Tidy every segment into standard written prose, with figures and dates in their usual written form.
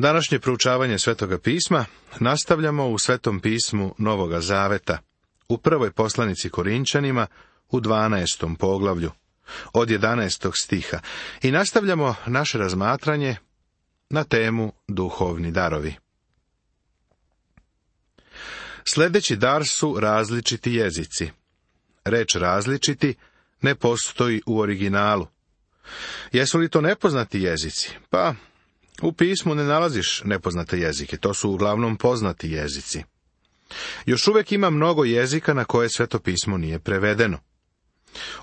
Današnje proučavanje Svetoga pisma nastavljamo u Svetom pismu Novoga Zaveta, u prvoj poslanici Korinčanima, u 12. poglavlju, od 11. stiha, i nastavljamo naše razmatranje na temu duhovni darovi. Sljedeći dar su različiti jezici. Reč različiti ne postoji u originalu. Jesu li to nepoznati jezici? Pa, u pismu ne nalaziš nepoznate jezike, to su uglavnom poznati jezici. Još uvijek ima mnogo jezika na koje Sveto pismo nije prevedeno.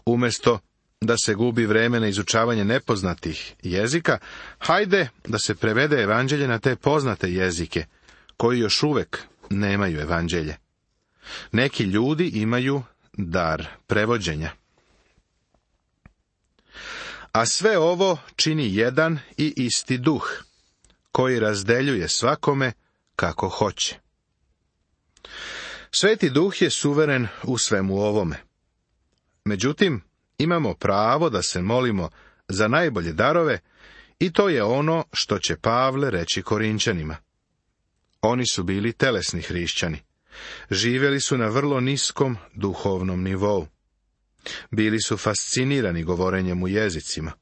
Umjesto da se gubi vreme na izučavanje nepoznatih jezika, hajde da se prevede evanđelje na te poznate jezike, koji još uvijek nemaju evanđelje. Neki ljudi imaju dar prevođenja. A sve ovo čini jedan i isti duh, koji razdeljuje svakome kako hoće. Sveti duh je suveren u svemu ovome. Međutim, imamo pravo da se molimo za najbolje darove i to je ono što će Pavle reći Korinčanima. Oni su bili telesni hrišćani. Živjeli su na vrlo niskom duhovnom nivou. Bili su fascinirani govorenjem u jezicima.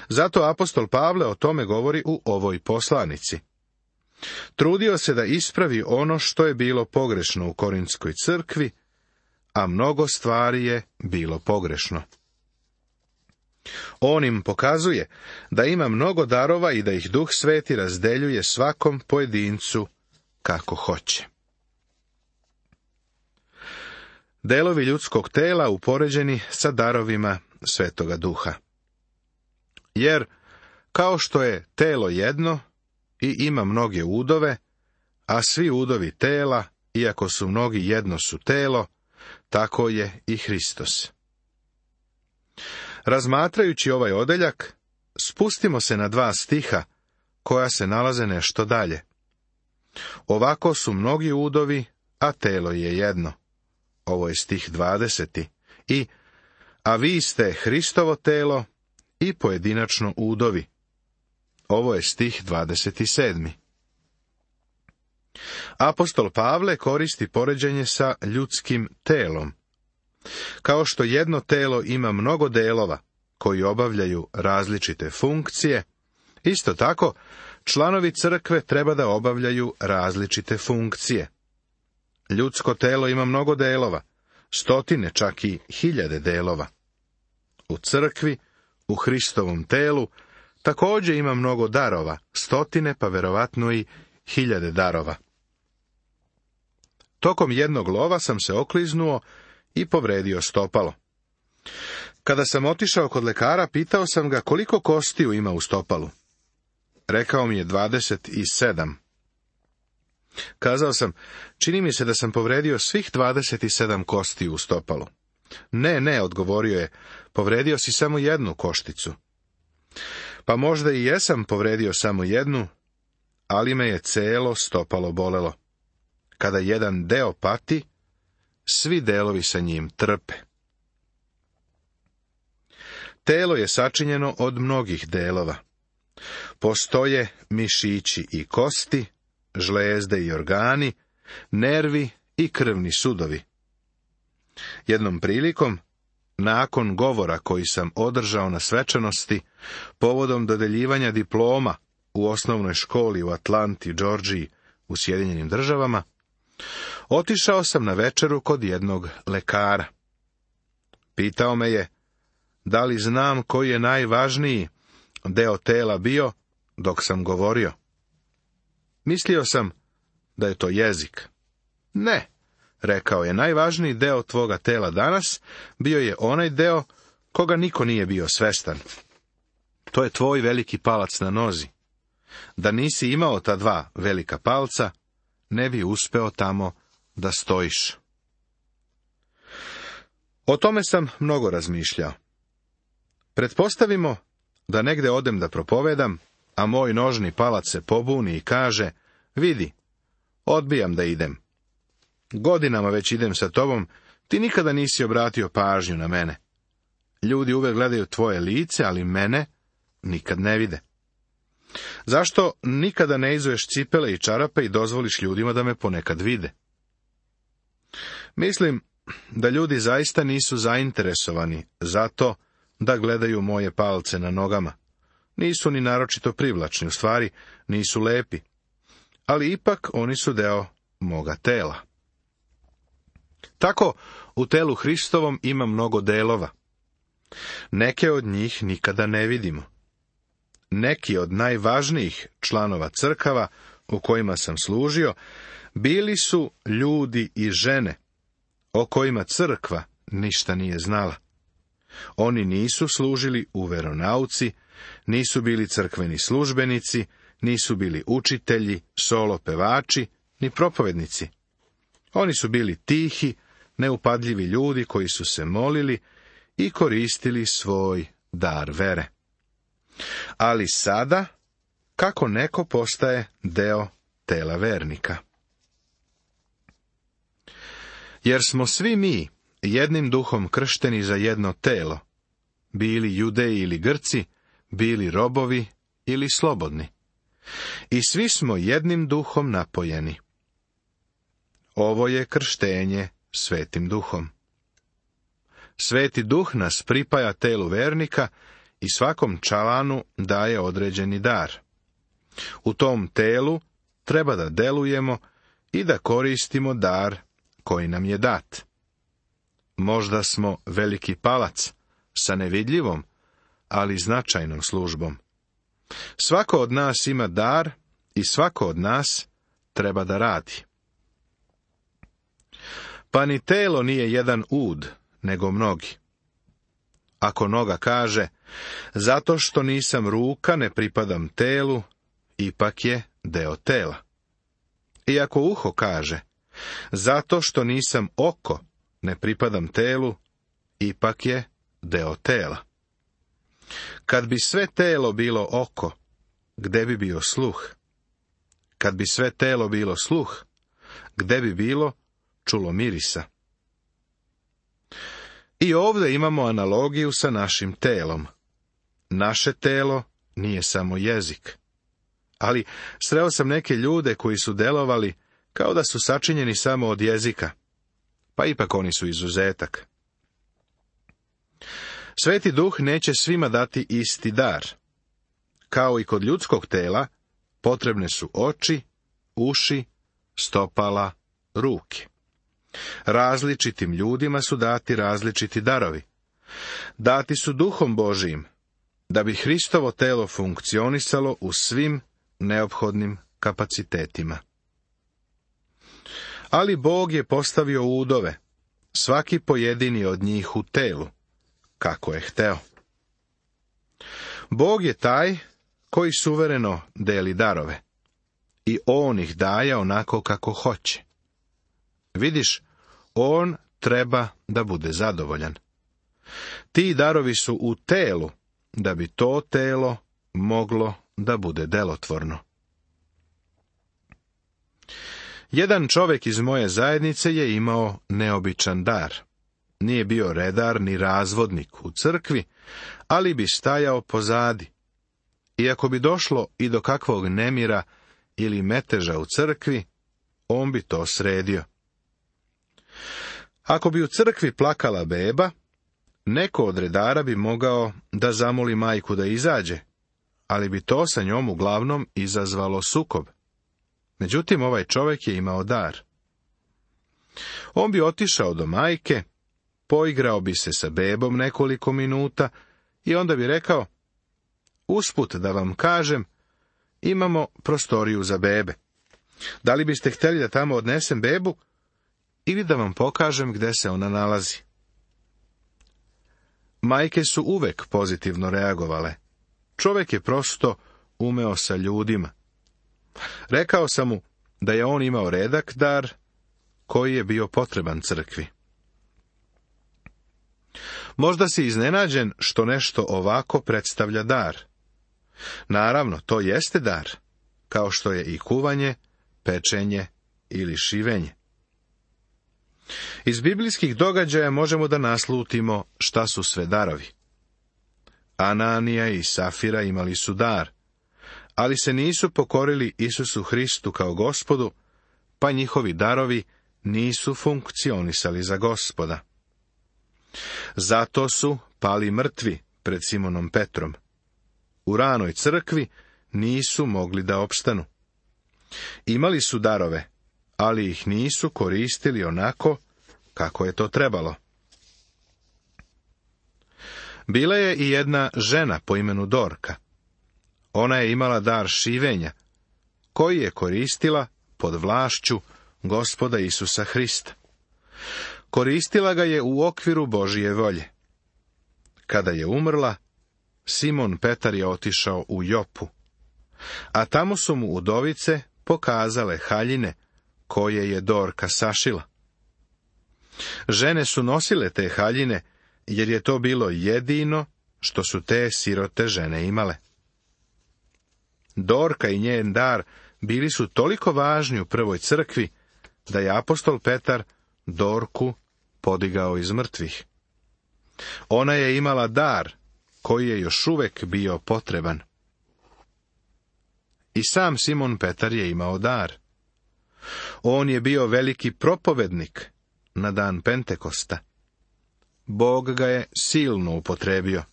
Zato apostol Pavle o tome govori u ovoj poslanici. Trudio se da ispravi ono što je bilo pogrešno u Korintskoj crkvi, a mnogo stvari je bilo pogrešno. On im pokazuje da ima mnogo darova i da ih Duh Sveti razdeljuje svakom pojedincu kako hoće. Delovi ljudskog tela upoređeni sa darovima Svetoga Duha. Jer, kao što je telo jedno i ima mnoge udove, a svi udovi tela, iako su mnogi jedno su telo, tako je i Hristos. Razmatrajući ovaj odeljak, spustimo se na 2 stiha, koja se nalaze nešto dalje. Ovako su mnogi udovi, a telo je jedno. Ovo je stih 20. I, a vi ste Hristovo telo i pojedinačno udovi. Ovo je stih 27. Apostol Pavle koristi poređenje sa ljudskim telom. Kao što jedno telo ima mnogo delova koji obavljaju različite funkcije, isto tako članovi crkve treba da obavljaju različite funkcije. Ljudsko telo ima mnogo delova, stotine, čak i 1000 delova. U crkvi, u Hristovom telu, također ima mnogo darova, stotine, pa verovatno i 1000 darova. Tokom jednog lova sam se okliznuo i povredio stopalo. Kada sam otišao kod lekara, pitao sam ga koliko kostiju ima u stopalu. Rekao mi je 27. Kazao sam, čini mi se da sam povredio svih 27 kostiju u stopalu. Ne, odgovorio je, povredio si samo jednu košticu. Pa možda i jesam povredio samo jednu, ali me je celo stopalo bolelo. Kada jedan deo pati, svi delovi sa njim trpe. Telo je sačinjeno od mnogih delova. Postoje mišići i kosti, žlezde i organi, nervi i krvni sudovi. Jednom prilikom, nakon govora koji sam održao na svečanosti, povodom dodeljivanja diploma u osnovnoj školi u Atlanti, Džordžiji, u Sjedinjenim Državama, otišao sam na večeru kod jednog lekara. Pitao me je, da li znam koji je najvažniji deo tela bio dok sam govorio. Mislio sam da je to jezik. Ne, rekao je, najvažniji deo tvoga tela danas bio je onaj deo koga niko nije bio svestan. To je tvoj veliki palac na nozi. Da nisi imao ta 2 velika palca, ne bi uspeo tamo da stojiš. O tome sam mnogo razmišljao. Pretpostavimo da negde odem da propovedam, a moj nožni palac se pobuni i kaže, vidi, odbijam da idem. Godinama već idem sa tobom, ti nikada nisi obratio pažnju na mene. Ljudi uvek gledaju tvoje lice, ali mene nikad ne vide. Zašto nikada ne izuješ cipele i čarape i dozvoliš ljudima da me ponekad vide? Mislim da ljudi zaista nisu zainteresovani zato da gledaju moje palce na nogama. Nisu ni naročito privlačni, u stvari nisu lepi, ali ipak oni su deo moga tela. Tako, u telu Hristovom ima mnogo delova. Neke od njih nikada ne vidimo. Neki od najvažnijih članova crkava u kojima sam služio bili su ljudi i žene o kojima crkva ništa nije znala. Oni nisu služili u veronauci, nisu bili crkveni službenici, nisu bili učitelji, solo pevači, ni propovednici. Oni su bili tihi, neupadljivi ljudi koji su se molili i koristili svoj dar vere. Ali sada, kako neko postaje deo tela vernika? Jer smo svi mi jednim duhom kršteni za jedno telo, bili Judeji ili Grci, bili robovi ili slobodni. I svi smo jednim duhom napojeni. Ovo je krštenje Svetim duhom. Sveti duh nas pripaja telu vernika i svakom članu daje određeni dar. U tom telu treba da delujemo i da koristimo dar koji nam je dat. Možda smo veliki palac sa nevidljivom, ali značajnom službom. Svako od nas ima dar i svako od nas treba da radi. Pa ni telo nije jedan ud, nego mnogi. Ako noga kaže, zato što nisam ruka, ne pripadam telu, ipak je deo tela. I ako uho kaže, zato što nisam oko, ne pripadam telu, ipak je deo tela. Kad bi sve telo bilo oko, gde bi bio sluh? Kad bi sve telo bilo sluh, gde bi bilo čulo mirisa? I ovdje imamo analogiju sa našim telom. Naše telo nije samo jezik. Ali sreo sam neke ljude koji su delovali kao da su sačinjeni samo od jezika, pa ipak oni su izuzetak. Sveti duh neće svima dati isti dar. Kao i kod ljudskog tela, potrebne su oči, uši, stopala, ruke. Različitim ljudima su dati različiti darovi. Dati su Duhom Božijim, da bi Hristovo telo funkcionisalo u svim neophodnim kapacitetima. Ali Bog je postavio udove, svaki pojedini od njih u telu, kako je hteo. Bog je taj koji suvereno deli darove i on ih daje onako kako hoće. Vidiš, on treba da bude zadovoljan. Ti darovi su u telu, da bi to telo moglo da bude delotvorno. Jedan čovjek iz moje zajednice je imao neobičan dar. Nije bio redar ni razvodnik u crkvi, ali bi stajao pozadi. I ako bi došlo i do kakvog nemira ili meteža u crkvi, on bi to sredio. Ako bi u crkvi plakala beba, neko od redara bi mogao da zamoli majku da izađe, ali bi to sa njom uglavnom izazvalo sukob. Međutim, ovaj čovjek je imao dar. On bi otišao do majke, poigrao bi se sa bebom nekoliko minuta i onda bi rekao, usput da vam kažem, imamo prostoriju za bebe. Da li biste htjeli da tamo odnesem bebu ili da vam pokažem gde se ona nalazi? Majke su uvek pozitivno reagovale. Čovjek je prosto umeo sa ljudima. Rekao sam mu da je on imao redak dar koji je bio potreban crkvi. Možda si iznenađen što nešto ovako predstavlja dar. Naravno, to jeste dar, kao što je i kuvanje, pečenje ili šivenje. Iz biblijskih događaja možemo da naslutimo šta su sve darovi. Ananija i Safira imali su dar, ali se nisu pokorili Isusu Hristu kao Gospodu, pa njihovi darovi nisu funkcionisali za Gospoda. Zato su pali mrtvi pred Simonom Petrom. U ranoj crkvi nisu mogli da opstanu. Imali su darove, ali ih nisu koristili onako kako je to trebalo. Bila je i jedna žena po imenu Dorka. Ona je imala dar šivenja, koji je koristila pod vlašću Gospoda Isusa Hrista. Koristila ga je u okviru Božije volje. Kada je umrla, Simon Petar je otišao u Jopu, a tamo su mu udovice pokazale haljine koje je Dorka sašila. Žene su nosile te haljine, jer je to bilo jedino što su te sirote žene imale. Dorka i njen dar bili su toliko važni u prvoj crkvi, da je apostol Petar Dorku podigao iz mrtvih. Ona je imala dar koji je još uvek bio potreban. I sam Simon Petar je imao dar. On je bio veliki propovednik na dan Pentekosta. Bog ga je silno upotrebio.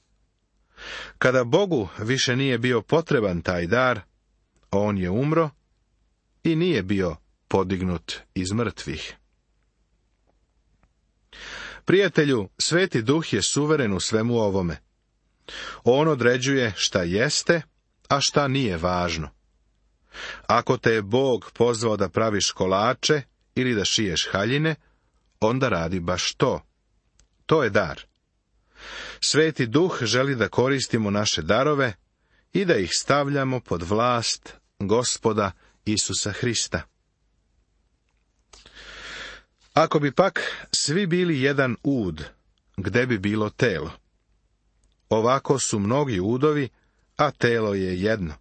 Kada Bogu više nije bio potreban taj dar, on je umro i nije bio podignut iz mrtvih. Prijatelju, Sveti Duh je suveren u svemu ovome. On određuje šta jeste, a šta nije važno. Ako te je Bog pozvao da praviš kolače ili da šiješ haljine, onda radi baš to. To je dar. Sveti Duh želi da koristimo naše darove i da ih stavljamo pod vlast Gospoda Isusa Hrista. Ako bi pak svi bili jedan ud, gde bi bilo telo? Ovako su mnogi udovi, a telo je jedno.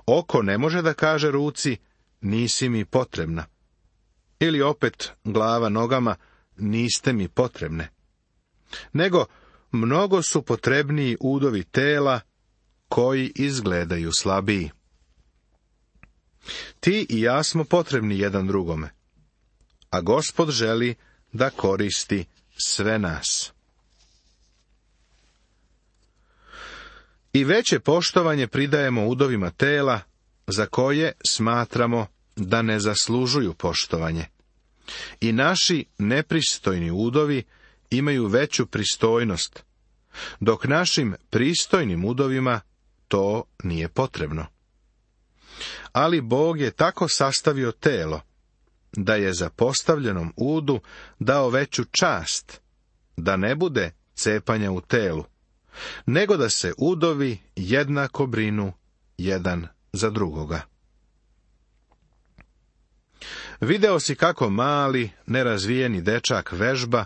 Oko ne može da kaže ruci, nisi mi potrebna. Ili opet glava nogama, niste mi potrebne. Nego, mnogo su potrebniji udovi tela, koji izgledaju slabiji. Ti i ja smo potrebni jedan drugome, a Gospod želi da koristi sve nas. I veće poštovanje pridajemo udovima tela, za koje smatramo da ne zaslužuju poštovanje. I naši nepristojni udovi imaju veću pristojnost, dok našim pristojnim udovima to nije potrebno. Ali Bog je tako sastavio telo, da je zapostavljenom udu dao veću čast, da ne bude cepanja u telu, nego da se udovi jednako brinu jedan za drugoga. Video si kako mali, nerazvijeni dečak vežba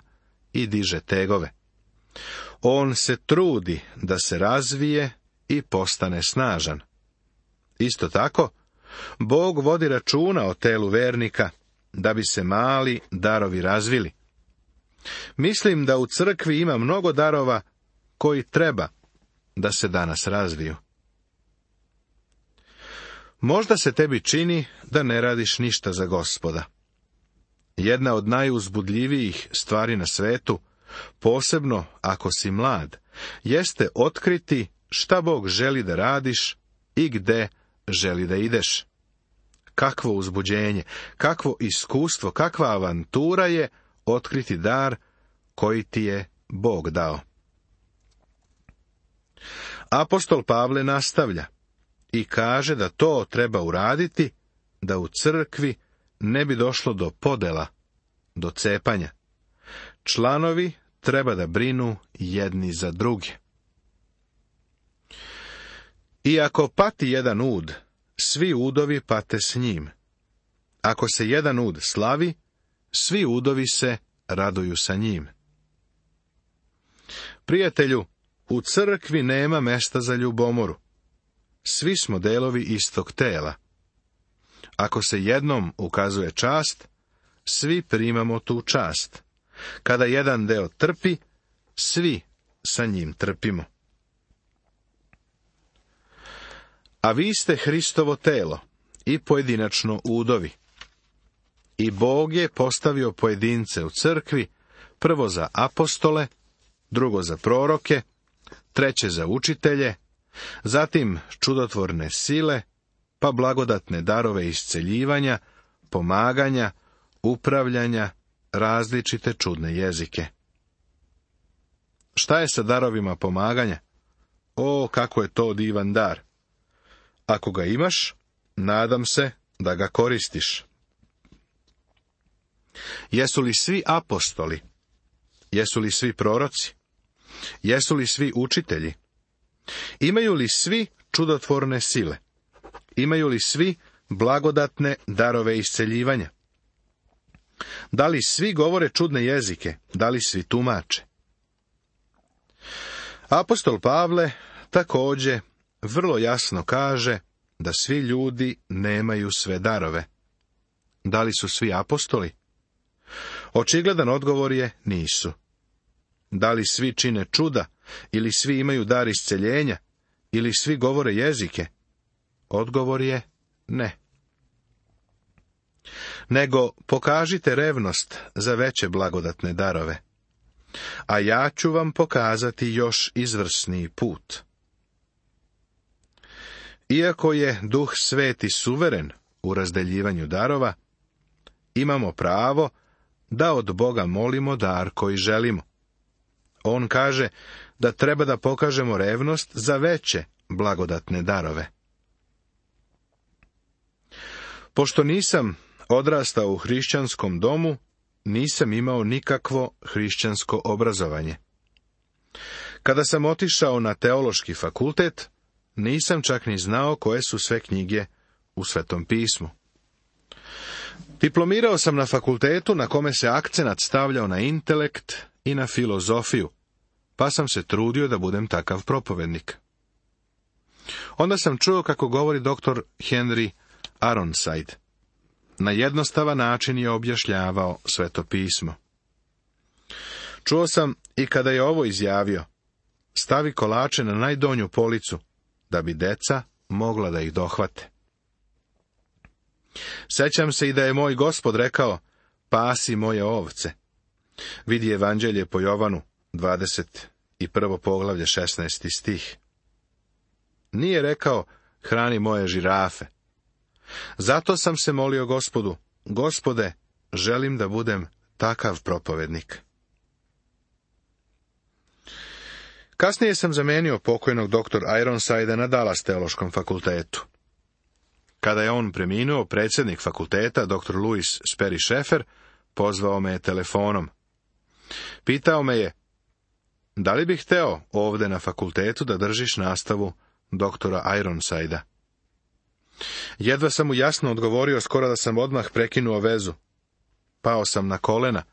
i diže tegove. On se trudi da se razvije i postane snažan. Isto tako, Bog vodi računa o telu vernika, da bi se mali darovi razvili. Mislim da u crkvi ima mnogo darova koji treba da se danas razviju. Možda se tebi čini da ne radiš ništa za Gospoda. Jedna od najuzbudljivijih stvari na svetu, posebno ako si mlad, jeste otkriti šta Bog želi da radiš i gde želi da ideš. Kakvo uzbuđenje, kakvo iskustvo, kakva avantura je otkriti dar koji ti je Bog dao. Apostol Pavle nastavlja i kaže da to treba uraditi, da u crkvi ne bi došlo do podela, do cepanja. Članovi treba da brinu jedni za druge. I ako pati jedan ud, svi udovi pate s njim. Ako se jedan ud slavi, svi udovi se raduju sa njim. Prijatelju, u crkvi nema mesta za ljubomoru. Svi smo delovi istog tela. Ako se jednom ukazuje čast, svi primamo tu čast. Kada jedan deo trpi, svi sa njim trpimo. A vi ste Hristovo telo i pojedinačno udovi. I Bog je postavio pojedince u crkvi, prvo za apostole, drugo za proroke, treće za učitelje, zatim čudotvorne sile, pa blagodatne darove isceljivanja, pomaganja, upravljanja, različite čudne jezike. Šta je sa darovima pomaganja? O, kako je to divan dar! Ako ga imaš, nadam se da ga koristiš. Jesu li svi apostoli? Jesu li svi proroci? Jesu li svi učitelji? Imaju li svi čudotvorne sile? Imaju li svi blagodatne darove isceljivanja? Da li svi govore čudne jezike? Da li svi tumače? Apostol Pavle također vrlo jasno kaže da svi ljudi nemaju sve darove. Da li su svi apostoli? Očigledan odgovor je nisu. Da li svi čine čuda, ili svi imaju dar isceljenja, ili svi govore jezike? Odgovor je ne. Nego pokažite revnost za veće blagodatne darove. A ja ću vam pokazati još izvrsniji put. Iako je Duh Sveti suveren u razdeljivanju darova, imamo pravo da od Boga molimo dar koji želimo. On kaže da treba da pokažemo revnost za veće blagodatne darove. Pošto nisam odrastao u hrišćanskom domu, nisam imao nikakvo hrišćansko obrazovanje. Kada sam otišao na teološki fakultet, nisam čak ni znao koje su sve knjige u Svetom pismu. Diplomirao sam na fakultetu na kome se akcenat stavljao na intelekt i na filozofiju, pa sam se trudio da budem takav propovednik. Onda sam čuo kako govori dr. Henry Ironside. Na jednostavan način je objašnjavao Sveto pismo. Čuo sam i kada je ovo izjavio: stavi kolače na najdonju policu, da bi deca mogla da ih dohvate. Sećam se i da je moj Gospod rekao: pasi moje ovce. Vidi Evanđelje po Jovanu, 21. poglavlje, 16. stih. Nije rekao: hrani moje žirafe. Zato sam se molio Gospodu: Gospode, želim da budem takav propovednik. Kasnije sam zamenio pokojnog dr. Ironsida na Dallas teološkom fakultetu. Kada je on preminuo, predsjednik fakulteta, dr. Louis Sperry Schaeffer, pozvao me telefonom. Pitao me je: da li bih hteo ovde na fakultetu da držiš nastavu doktora Ironsida? Jedva sam mu jasno odgovorio, skoro da sam odmah prekinuo vezu. Pao sam na kolena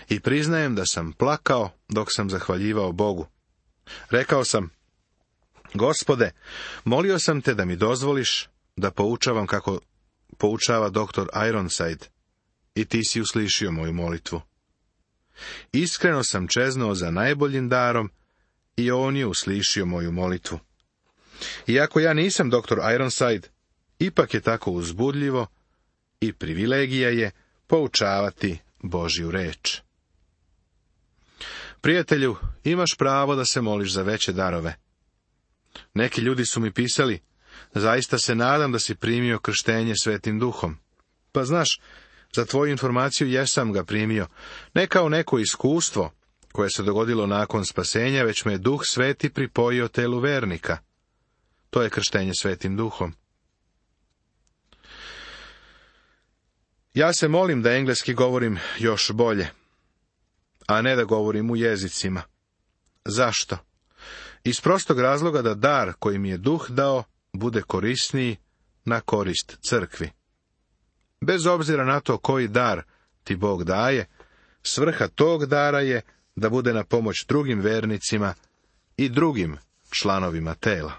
i priznajem da sam plakao dok sam zahvaljivao Bogu. Rekao sam: Gospode, molio sam te da mi dozvoliš da poučavam kako poučava doktor Ironside, i ti si uslišio moju molitvu. Iskreno sam čeznuo za najboljim darom i on je uslišio moju molitvu. Iako ja nisam doktor Ironside, ipak je tako uzbudljivo i privilegija je poučavati Božju reč. Prijatelju, imaš pravo da se moliš za veće darove. Neki ljudi su mi pisali: zaista se nadam da si primio krštenje Svetim Duhom. Pa znaš, za tvoju informaciju jesam ga primio, ne kao neko iskustvo koje se dogodilo nakon spasenja, već me Duh Sveti pripojio telu vernika. To je krštenje Svetim Duhom. Ja se molim da engleski govorim još bolje, a ne da govorim u jezicima. Zašto? Iz prostog razloga da dar koji mi je Duh dao bude korisniji na korist crkvi. Bez obzira na to koji dar ti Bog daje, svrha tog dara je da bude na pomoć drugim vernicima i drugim članovima tela.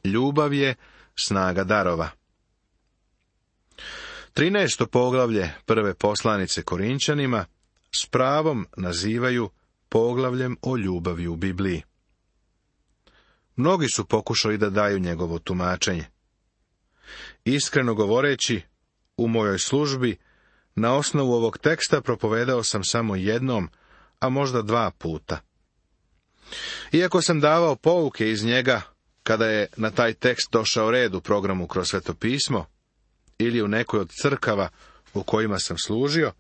Ljubav je snaga darova. 13. poglavlje prve poslanice Korinčanima s pravom nazivaju poglavljem o ljubavi u Bibliji. Mnogi su pokušali da daju njegovo tumačenje. Iskreno govoreći, u mojoj službi, na osnovu ovog teksta propovedao sam samo jednom, a možda 2 puta. Iako sam davao pouke iz njega, kada je na taj tekst došao red u programu kroz Sveto pismo, ili u nekoj od crkava u kojima sam služio,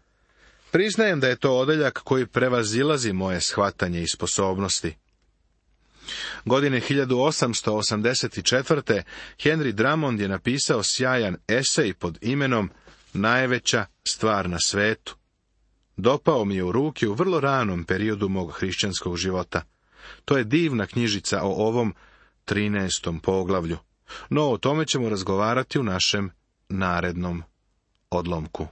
priznajem da je to odeljak koji prevazilazi moje shvatanje i sposobnosti. Godine 1884. Henry Drummond je napisao sjajan esej pod imenom Najveća stvar na svetu. Dopao mi je u ruke u vrlo ranom periodu mog hrišćanskog života. To je divna knjižica o ovom 13. poglavlju, no o tome ćemo razgovarati u našem narednom odlomku.